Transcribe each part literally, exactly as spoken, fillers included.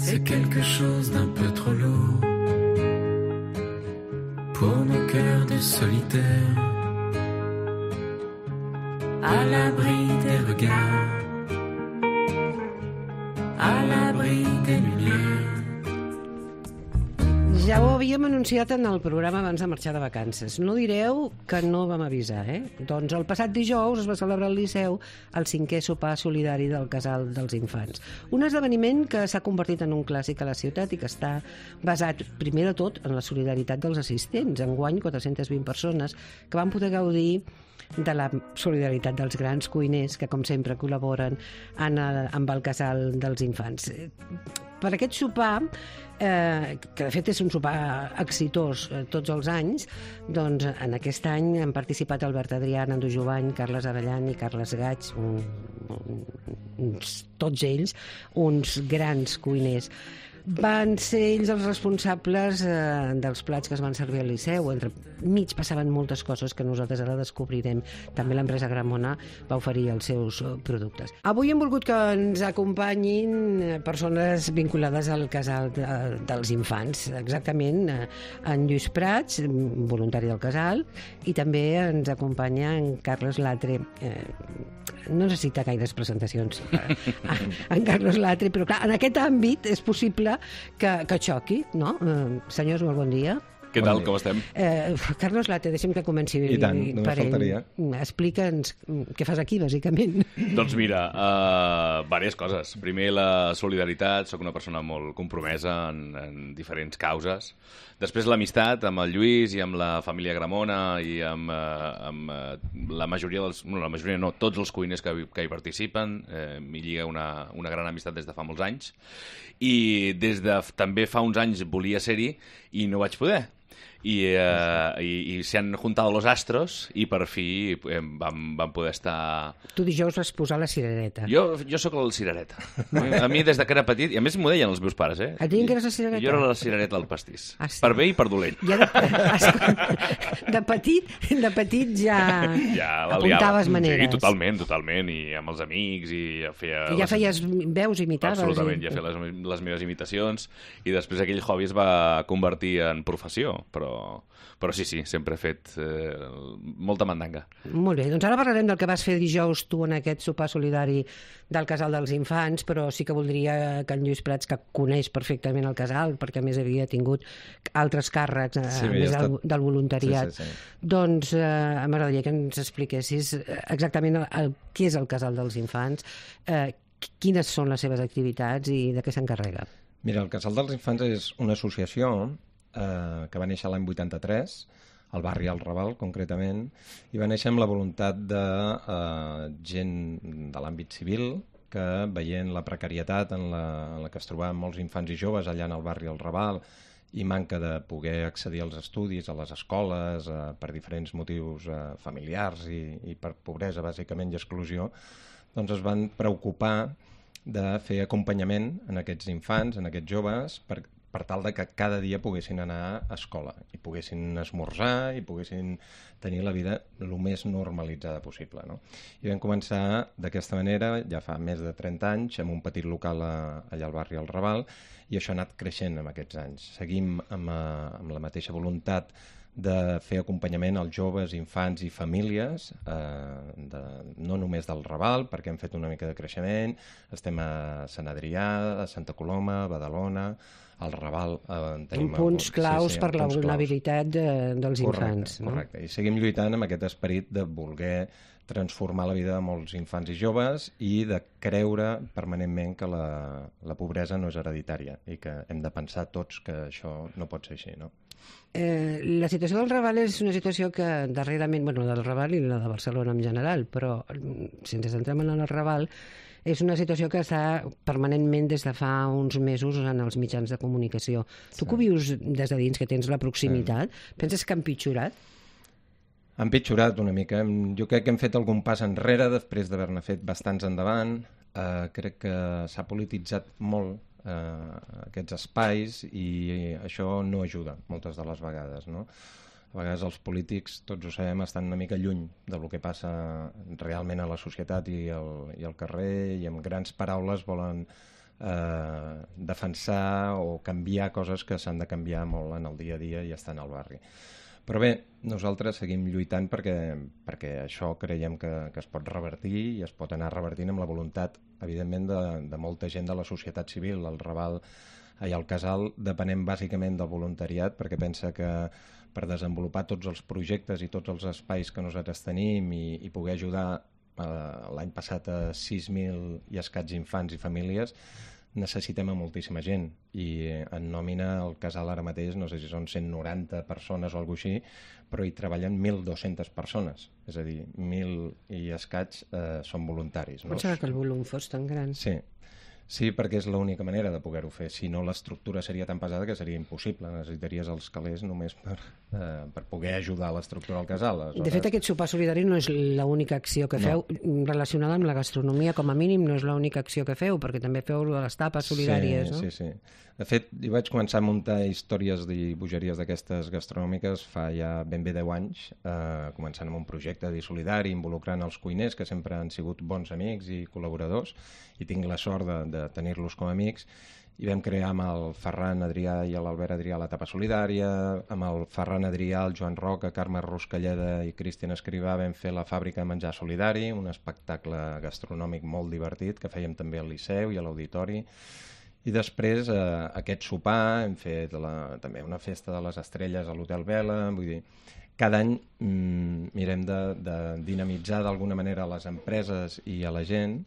c'est quelque chose d'un peu trop lourd pour nos cœurs de solitaires, à l'abri des regards, à l'abri des lumières. Ja ho havíem anunciat en el programa abans de marxar de vacances. No direu que no vam avisar, eh? Doncs el passat dijous es va celebrar al Liceu el cinquè sopar solidari del Casal dels Infants. Un esdeveniment que s'ha convertit en un clàssic a la ciutat i que està basat, primer de tot, en la solidaritat dels assistents. Enguany, quatre-centes vint persones que van poder gaudir de la solidaritat dels grans cuiners que, com sempre, col·laboren en el, amb el Casal dels Infants. Per aquest sopar, eh, que de fet és un sopar exitós eh, tots els anys, doncs en aquest any han participat Albert Adrià, Nando Jovany, Carles Avellan i Carles Gaig, un, un, uns, tots ells uns grans cuiners. Van ser ells els responsables eh, dels plats que es van servir al Liceu. Entre mig passaven moltes coses que nosaltres ara descobrirem. També l'empresa Gramona va oferir els seus productes. Avui hem volgut que ens acompanyin persones vinculades al Casal de, dels Infants. Exactament, en Lluís Prats, voluntari del Casal, i també ens acompanya en Carles Latre. Eh, no necessita gaires presentacions en Carles Latre, però clar, en aquest àmbit és possible que, que xoqui, no? Eh, senyors, molt bon dia. Què tal, com estem? Eh, Carles Latre, deixem que comenci I tant, només per ell. faltaria. Explica'ns què fas aquí, bàsicament. Doncs mira, uh, diverses coses. Primer, la solidaritat. Soc una persona molt compromesa en, en diferents causes. Després, l'amistat amb el Lluís i amb la família Gramona i amb, uh, amb uh, la majoria dels... No, la majoria no, tots els cuiners que, que hi participen. Eh, M'hi lliga una, una gran amistat des de fa molts anys. I des de també fa uns anys volia ser-hi i no vaig poder. I, eh, i, i se han juntado los astros i per fi eh, vam, vam poder estar... Tu dijous vas posar la cirereta. Jo, jo sóc el cirereta. A mi des de que era petit, i a més m'ho deien els meus pares, eh? Et deien que eres la cirereta? Jo era la cirereta del pastís. Ah, sí. Per bé i per dolent. Ja de, de petit, de petit ja, ja apuntaves maneres. Sí, totalment, totalment, i amb els amics, i ja feia... I ja les... feies veus, imitaves. Absolutament, i... ja feia les, les meves imitacions, i després aquell hobby es va convertir en professió, però... Però sí, sí, sempre he fet eh, molta mandanga. Molt bé, doncs ara parlarem del que vas fer dijous tu en aquest sopar solidari del Casal dels Infants, però sí que voldria que en Lluís Prats, que coneix perfectament el casal, perquè a més havia tingut altres càrrecs, eh, sí, a més del, estat... del voluntariat, sí, sí, sí. doncs eh, m'agradaria que ens expliquessis exactament el, el, què és el Casal dels Infants, eh, quines són les seves activitats i de què s'encarrega. Mira, el Casal dels Infants és una associació eh, que va néixer l'any vuitanta-tres, al barri El Raval, concretament, i va néixer amb la voluntat de eh, gent de l'àmbit civil que, veient la precarietat en la, en la que es trobaven molts infants i joves allà en el barri El Raval i manca de poder accedir als estudis, a les escoles, eh, per diferents motius eh, familiars i, i per pobresa, bàsicament, i exclusió, doncs es van preocupar de fer acompanyament en aquests infants, en aquests joves, per, per tal de que cada dia poguessin anar a escola i poguessin esmorzar i poguessin tenir la vida el més normalitzada possible, no? I vam començar d'aquesta manera, ja fa més de trenta anys, amb un petit local a, allà al barri El Raval, i això ha anat creixent amb aquests anys. Seguim amb, a, amb la mateixa voluntat de fer acompanyament als joves, infants i famílies, eh, de, no només del Raval, perquè hem fet una mica de creixement, estem a Sant Adrià, a Santa Coloma, a Badalona, al Raval... Eh, tenim punts algun... claus sí, sí, per la vulnerabilitat de, dels correcte, infants. No? Correcte, i seguim lluitant amb aquest esperit de voler transformar la vida de molts infants i joves i de creure permanentment que la, la pobresa no és hereditària i que hem de pensar tots que això no pot ser així, no? Eh, la situació del Raval és una situació que darrerament, bueno, del Raval i la de Barcelona en general, però si ens centrem en el Raval, és una situació que està permanentment des de fa uns mesos en els mitjans de comunicació. Sí. Tu que ho vius des de dins, que tens la proximitat, sí. Penses que ha empitjorat? Ha empitjorat una mica. Jo crec que hem fet algun pas enrere després d'haver-ne fet bastants endavant. Eh, crec que s'ha polititzat molt eh, aquests espais i això no ajuda moltes de les vegades, no? A vegades els polítics, tots ho sabem, estan una mica lluny del que passa realment a la societat i al, i al carrer, i amb grans paraules volen eh, defensar o canviar coses que s'han de canviar molt en el dia a dia i estan al barri. Però bé, nosaltres seguim lluitant perquè, perquè això creiem que, que es pot revertir i es pot anar revertint amb la voluntat, evidentment, de, de molta gent de la societat civil. El Raval i el Casal depenem bàsicament del voluntariat perquè pensa que per desenvolupar tots els projectes i tots els espais que nosaltres tenim i, i poder ajudar eh, l'any passat a sis mil i escaig infants i famílies, necessitem a moltíssima gent i en nòmina el Casal ara mateix no sé si són cent noranta persones o alguna cosa així, però hi treballen mil dues-centes persones, és a dir, mil i escaig eh, són voluntaris. No? Pensava que el volum fos tan gran. Sí, sí, perquè és l'única manera de poder-ho fer. Si no, l'estructura seria tan pesada que seria impossible. Necessitaries els calés només per, eh, per poder ajudar a l'estructura del casal. Aleshores... De fet, aquest sopar solidari no és l'única acció que feu no. relacionada amb la gastronomia, com a mínim no és l'única acció que feu, perquè també feu les tapes solidàries, sí, no? Sí, sí. De fet, jo vaig començar a muntar històries i bogeries d'aquestes gastronòmiques fa ja ben bé deu anys, eh, començant amb un projecte de solidari, involucrant els cuiners, que sempre han sigut bons amics i col·laboradors, i tinc la sort de, de tenir-los com a amics, i vam crear amb el Ferran Adrià i l'Albert Adrià la tapa solidària, amb el Ferran Adrià, el Joan Roca, Carme Ruscalleda i Cristian Escrivà vam fer la fàbrica de menjar solidari, un espectacle gastronòmic molt divertit que fèiem també al Liceu i a l'Auditori. I després, eh, aquest sopar, hem fet la, també una festa de les estrelles a l'Hotel Vela, vull dir, cada any mm, mirem de, de dinamitzar d'alguna manera les empreses i a la gent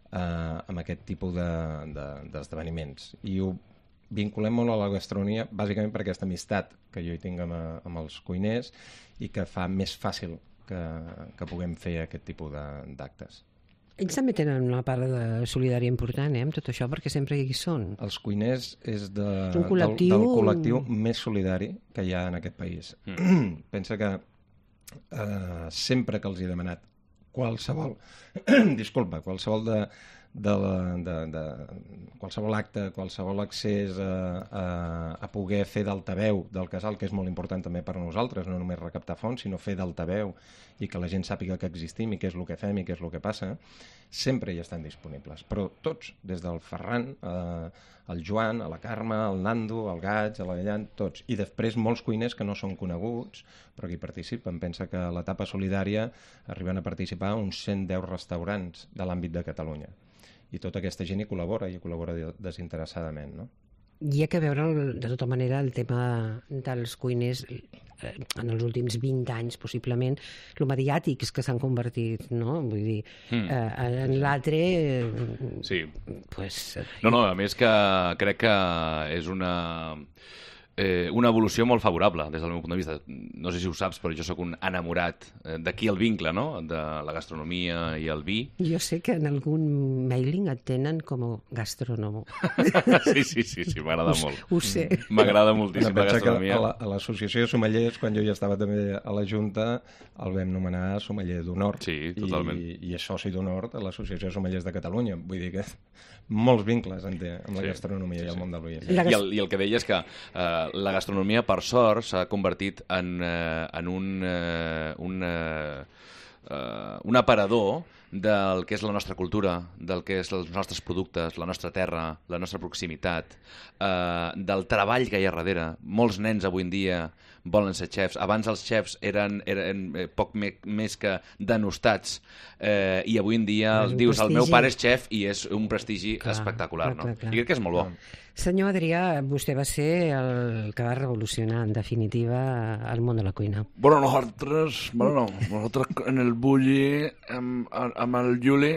eh, amb aquest tipus d'esdeveniments. De, de, I ho vinculem molt a la gastronomia, bàsicament per aquesta amistat que jo hi tinc amb, amb els cuiners i que fa més fàcil que, que puguem fer aquest tipus d'actes. Ells també tenen una part de solidària important, eh, amb tot això, perquè sempre hi són. Els cuiners és de, col·lectiu... del, del col·lectiu més solidari que hi ha en aquest país. Mm. Pensa que eh, sempre que els he demanat qualsevol, disculpa, qualsevol de, de, la, de, de qualsevol acte, qualsevol accés a, a, a poder fer d'altaveu del casal, que és molt important també per a nosaltres, no només recaptar fons, sinó fer d'altaveu i que la gent sàpiga que existim i què és el que fem i què és el que passa, sempre hi estan disponibles. Però tots, des del Ferran, eh, el Joan, a la Carme, el Nando, el Gaig, a la Gallant, tots. I després molts cuiners que no són coneguts, però que hi participen. Pensa que a l'etapa solidària arriben a participar uns cent deu restaurants de l'àmbit de Catalunya. I tota aquesta gent hi col·labora, i hi col·labora desinteressadament, no? Hi ha que veure, de tota manera, el tema dels cuiners en els últims vint anys, possiblement, lo mediàtics que s'han convertit, no? Vull dir, mm. eh, en l'altre... Eh, sí. Pues... No, no, a més que crec que és una... Eh, una evolució molt favorable des del meu punt de vista. No sé si ho saps, però jo sóc un enamorat eh, d'aquí el vincle, no?, de la gastronomia i el vi. Jo sé que en algun mailing et tenen com a gastrònomo. Sí, sí, sí, sí, m'agrada molt. Ho sé. M'agrada moltíssim bueno, la gastronomia. A l'Associació la, de Sommeliers, quan jo ja estava també a la Junta, el vam nomenar sommelier d'honor. Sí, totalment. I, i és soci d'honor de l'Associació de Sommeliers de Catalunya. Vull dir que molts vincles en té amb la sí, gastronomia sí, sí. i el món del vi. I, el, I el que deia és que eh, la gastronomia, per sort, s'ha convertit en, eh, en un, eh, un, eh, eh, un aparador del que és la nostra cultura, del que és els nostres productes, la nostra terra, la nostra proximitat, eh, del treball que hi ha darrere. Molts nens avui en dia volen ser xefs. Abans els xefs eren, eren poc me, més que denostats eh, i avui en dia el dius prestigi. El meu pare és xef i és un prestigi clar, espectacular. Clar, no? clar, clar. I crec que és molt bo. Senyor Adrià, vostè va ser el que va revolucionar, en definitiva, el món de la cuina. Bueno, nosaltres, bueno, no, nosaltres en el Bulli, amb, amb el Juli,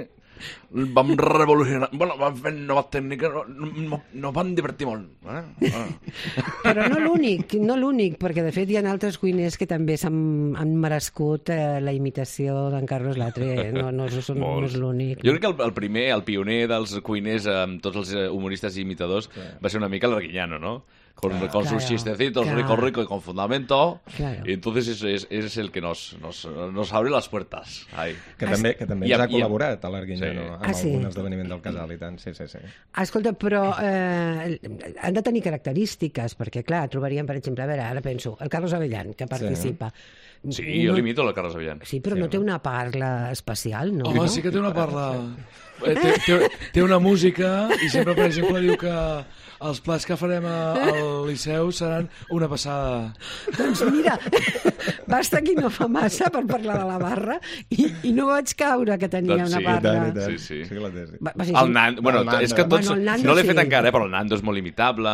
vam revolucionar, bueno, vam fer noves tècniques, no, no, no van divertir molt. Eh? Ah. Però no l'únic, no l'únic, perquè de fet hi ha altres cuiners que també s'han han merescut eh, la imitació d'en Carlos Latre, no, no, no, no és l'únic. Jo crec que el, el primer, el pioner dels cuiners amb tots els humoristes i imitadors sí. va ser una mica l'Arguiñano, no? con, Claro, con sus claro, chistecitos claro. rico, rico y con fundamento. Claro. Y entonces es, es, es el que nos, nos, nos abre las puertas. Ahí. Que també, que també I ens a- ha col·laborat a l'Arguinyano Sí. amb Ah, sí? algun esdeveniment del casal i tant. Sí, sí, sí. Ah, escolta, però eh, han de tenir característiques, perquè, clar, trobaríem, per exemple, a veure, ara penso, el Carlos Avellán, que participa. Sí, jo l'imito, la Carles Avellán. Sí, però no té una parla especial, no? Home, no? sí que té una parla... Eh, té, té, té una música i sempre, per exemple, diu que els plats que farem a, al Liceu seran una passada. Doncs mira, basta que no fa massa per parlar de la barra i, i no vaig caure que tenia Doncs una sí, I barra. tant, i tant. Sí, sí. Sí que la té, sí. Va, va, sí, El sí. Nando, bueno, El Nando. és que tots, Bueno, el Nando no l'he sí. fet encara, eh, però el Nando és molt imitable.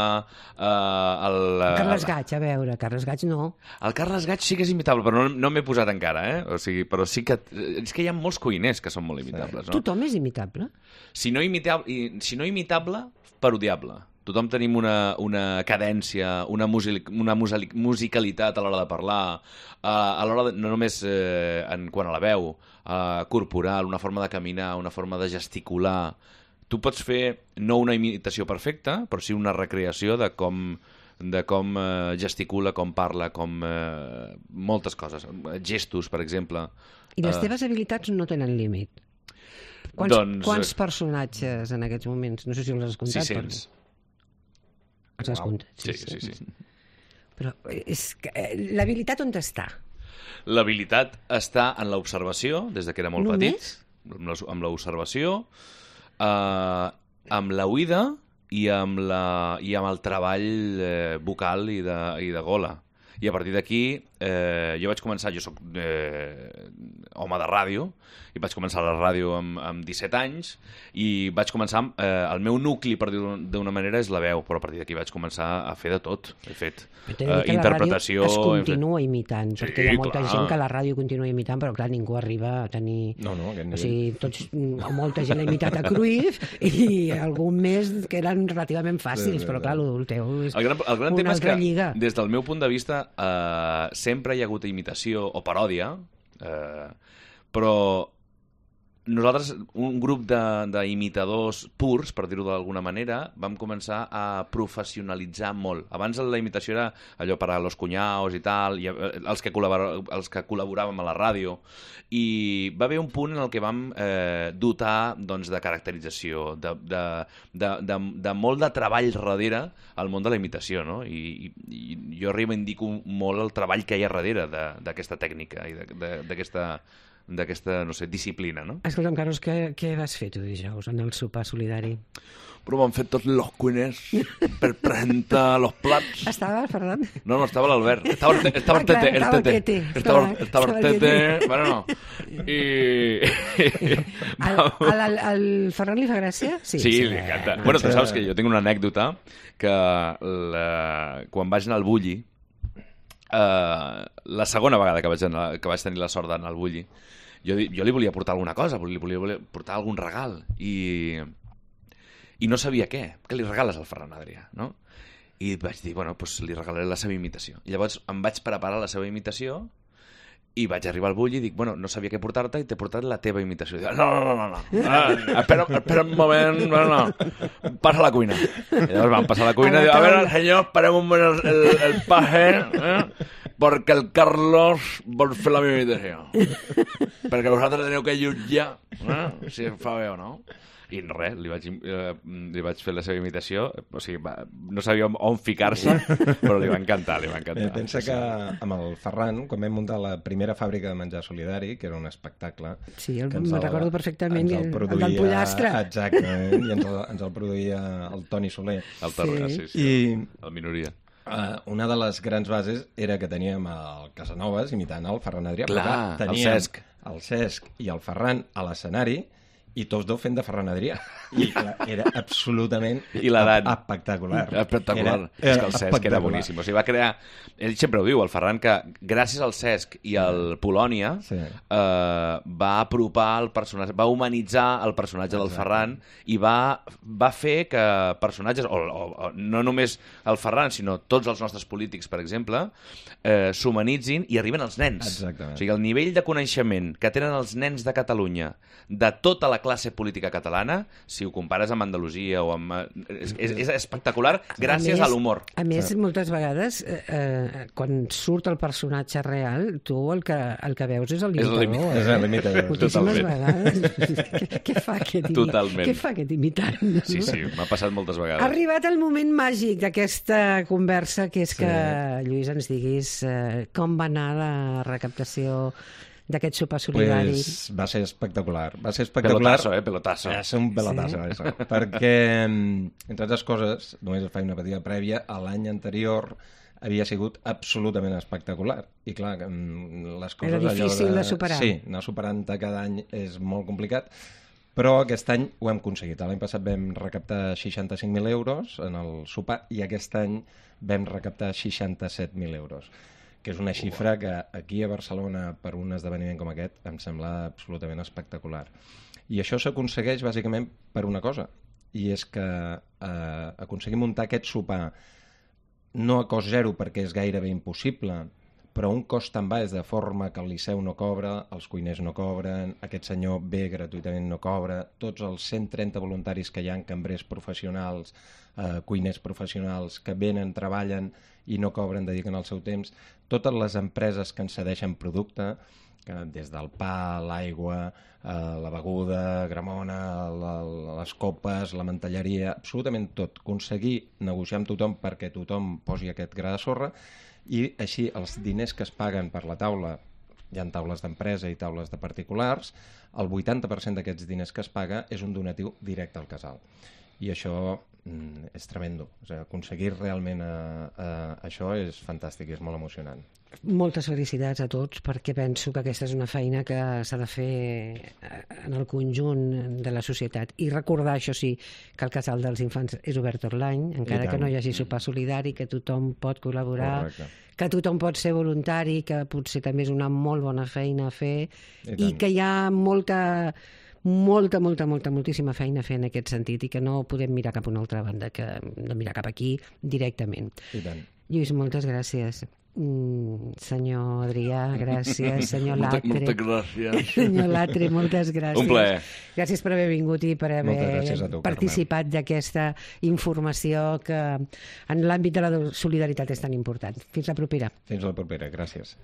Uh, el, uh, Carles Gaig, a veure, Carles Gaig no. El Carles Gaig sí que és imitable, però no, no m'he posat encara, eh? O sigui, però sí que... És que hi ha molts cuiners que són molt imitables, no? Tothom és imitable? Si no imitable, i- si no imitable, parodiable. Tothom tenim una, una cadència, una, music, una musali- musicalitat a l'hora de parlar, uh, a l'hora de, no només eh, en quant a la veu, uh, corporal, una forma de caminar, una forma de gesticular. Tu pots fer no una imitació perfecta, però sí una recreació de com de com eh, gesticula, com parla, com eh, moltes coses. Gestos, per exemple. I les Eh, teves habilitats no tenen límit. Quants, Doncs, quants eh, personatges en aquests moments? No sé si els has comptat. sis-cents. Però... Els has comptat? Sí, sí, sí. Però és que, eh, l'habilitat on està? L'habilitat està en l'observació, des de que era molt Només? petit, amb la- amb l'observació, eh, amb la oïda i amb, la, i amb el treball eh, vocal i de, i de gola. I a partir d'aquí, eh, jo vaig començar, jo sóc eh, home de ràdio, i vaig començar a la ràdio amb, amb disset anys, i vaig començar amb, eh, el meu nucli, per dir-ho d'una manera, és la veu, però a partir d'aquí vaig començar a fer de tot. He fet Però t'he de dir eh, que la interpretació... ràdio es hem fet- continua imitant, Sí, perquè hi ha molta clar. gent que la ràdio continua imitant, però clar, ningú arriba a tenir... No, no, aquest O nivell. sigui, tots, mm, molta gent ha imitat a Cruyff i algun més que eren relativament fàcils, Sí, sí, però sí. clar, el teu és El gran, el gran una tema és altra que, lliga. des del meu punt de vista, eh, sempre hi ha hagut imitació o paròdia, eh, però nosaltres, un grup de- d'imitadors purs, per dir-ho d'alguna manera, vam començar a professionalitzar molt. Abans la imitació era allò per a los cuñaos i tal, i eh, els que, col·labor els que col·laboràvem a la ràdio, i va haver un punt en el que vam eh, dotar doncs, de caracterització, de, de, de, de, de molt de treball darrere al món de la imitació, no? I, i, i jo reivindico molt el treball que hi ha darrere de- d'aquesta tècnica i de- de- d'aquesta d'aquesta, no sé, disciplina, no? Escolta'm, Carlos, què, què vas fer tu dijous en el sopar solidari? Però m'han fet tots los cuiners per presentar los plats. Estava el Ferran? No, no, estava l'Albert. Estava, el te- estava el Ah, clar, tete, el estava el tete. tete. Estava, Estava- estava el estava el tete. Bueno, no. I... Al, al, al Ferran li fa gràcia? Sí, sí, li encanta. Bueno, tu saps que jo tinc una anècdota que la... quan vaig anar al Bulli, uh, la segona vegada que vaig, anar, que vaig tenir la sort d'anar al Bulli, jo, di- jo li volia portar alguna cosa, li volia, volia portar algun regal, i, i no sabia què. Què li regales al Ferran Adrià, no? I vaig dir, bueno, doncs li regalaré la seva imitació. I llavors em vaig preparar la seva imitació i vaig arribar al Bulli i dic, bueno, no sabia què portar-te i t'he portat la teva imitació. I dic, no, no, no, no, no. Ah, espera, espera un moment, no, no. Passa a la cuina. I llavors vam passar a la cuina A i la dic, a veure, taula. senyor, esperem un moment el, el, el paje, eh? perquè el Carlos vol fer la meva imitació. Perquè vosaltres teniu que jutjar eh? si em fa bé o no. I res, li vaig, eh, li vaig fer la seva imitació, o sigui, va, no sabia on, on ficar-se, però li va encantar, li va encantar. Eh, pensa que amb el Ferran, quan vam muntar la primera fàbrica de menjar solidari, que era un espectacle... Sí, el- que ens me'n recordo perfectament, ens el- el produïa- del pollastre. Exactament, i ens el, ens el produïa el Toni Soler. El Tarragona, Sí. sí, sí, I el minoria. uh, una de les grans bases era que teníem el Casanovas imitant el Ferran Adrià. Clar, però el teníem Cesc. el Cesc i el Ferran a l'escenari, i tots dos fent de Ferran Adrià. I clar, era absolutament I l'edat. ep- espectacular. Espectacular. Era, És que el Cesc era espectacular. boníssim. O sigui, va crear... Ell sempre ho diu, el Ferran, que gràcies al Cesc i al Polònia Sí. eh, va apropar el personatge, va humanitzar el personatge del Ferran i va, va fer que personatges, o, o, o no només el Ferran, sinó tots els nostres polítics, per exemple, eh, s'humanitzin i arriben als nens. Exactament. O sigui, el nivell de coneixement que tenen els nens de Catalunya de tota la classe política catalana, si ho compares amb Andalusia o amb... És, és, és espectacular gràcies a, a l'humor. A més, moltes vegades, eh, eh, quan surt el personatge real, tu el que, el que veus és el imitador. És el imitador. Moltíssimes vegades. Què, què fa aquest imitant? Totalment. Què fa aquest imitant? Sí, sí, m'ha passat moltes vegades. Ha arribat el moment màgic d'aquesta conversa, que és que, sí. Lluís, ens diguis eh, com va anar la recaptació d'aquest sopar solidari. Pues va ser espectacular. Va ser espectacular. Pelotazo, eh? Pelotazo. Va ser un pelotazo, sí? Això. Perquè, entre altres coses, només faig una petita prèvia, l'any anterior havia sigut absolutament espectacular. I clar, les coses... Era difícil allò de... de superar. Sí, anar superant cada any és molt complicat, però aquest any ho hem aconseguit. L'any passat vam recaptar seixanta-cinc mil euros en el sopar i aquest any vam recaptar seixanta-set mil euros, que és una xifra que aquí a Barcelona, per un esdeveniment com aquest, em sembla absolutament espectacular. I això s'aconsegueix bàsicament per una cosa, i és que eh, aconseguim muntar aquest sopar no a cost zero perquè és gairebé impossible, però un cost tan baix de forma que el Liceu no cobra, els cuiners no cobren, aquest senyor ve gratuïtament no cobra, tots els cent trenta voluntaris que hi ha, cambrers professionals, eh, cuiners professionals, que venen, treballen i no cobren, dediquen el seu temps, totes les empreses que ens cedeixen producte, que des del pa, l'aigua, eh, la beguda, Gramona, la, les copes, la mantelleria, absolutament tot, aconseguir negociar amb tothom perquè tothom posi aquest gra de sorra, i així els diners que es paguen per la taula, hi ha taules d'empresa i taules de particulars, el vuitanta per cent d'aquests diners que es paga és un donatiu directe al casal. I això mm, és tremendo. O sigui, aconseguir realment eh, eh, això és fantàstic, és molt emocionant. Moltes felicitats a tots, perquè penso que aquesta és una feina que s'ha de fer en el conjunt de la societat. I recordar, això sí, que el Casal dels Infants és obert tot l'any, encara que no hi hagi sopar solidari, que tothom pot col·laborar, correcte, que tothom pot ser voluntari, que potser també és una molt bona feina a fer, i, i que hi ha molta... molta, molta, molta, moltíssima feina a fer en aquest sentit i que no podem mirar cap a una altra banda, que no mirar cap aquí directament. I tant. Lluís, moltes gràcies. Mm, senyor Adrià, gràcies. Senyor Latre. Moltes gràcies. Senyor Latre, moltes gràcies. Un plaer. Gràcies per haver vingut i per haver tu, participat d'aquesta informació que en l'àmbit de la solidaritat és tan important. Fins la propera. Fins la propera, gràcies.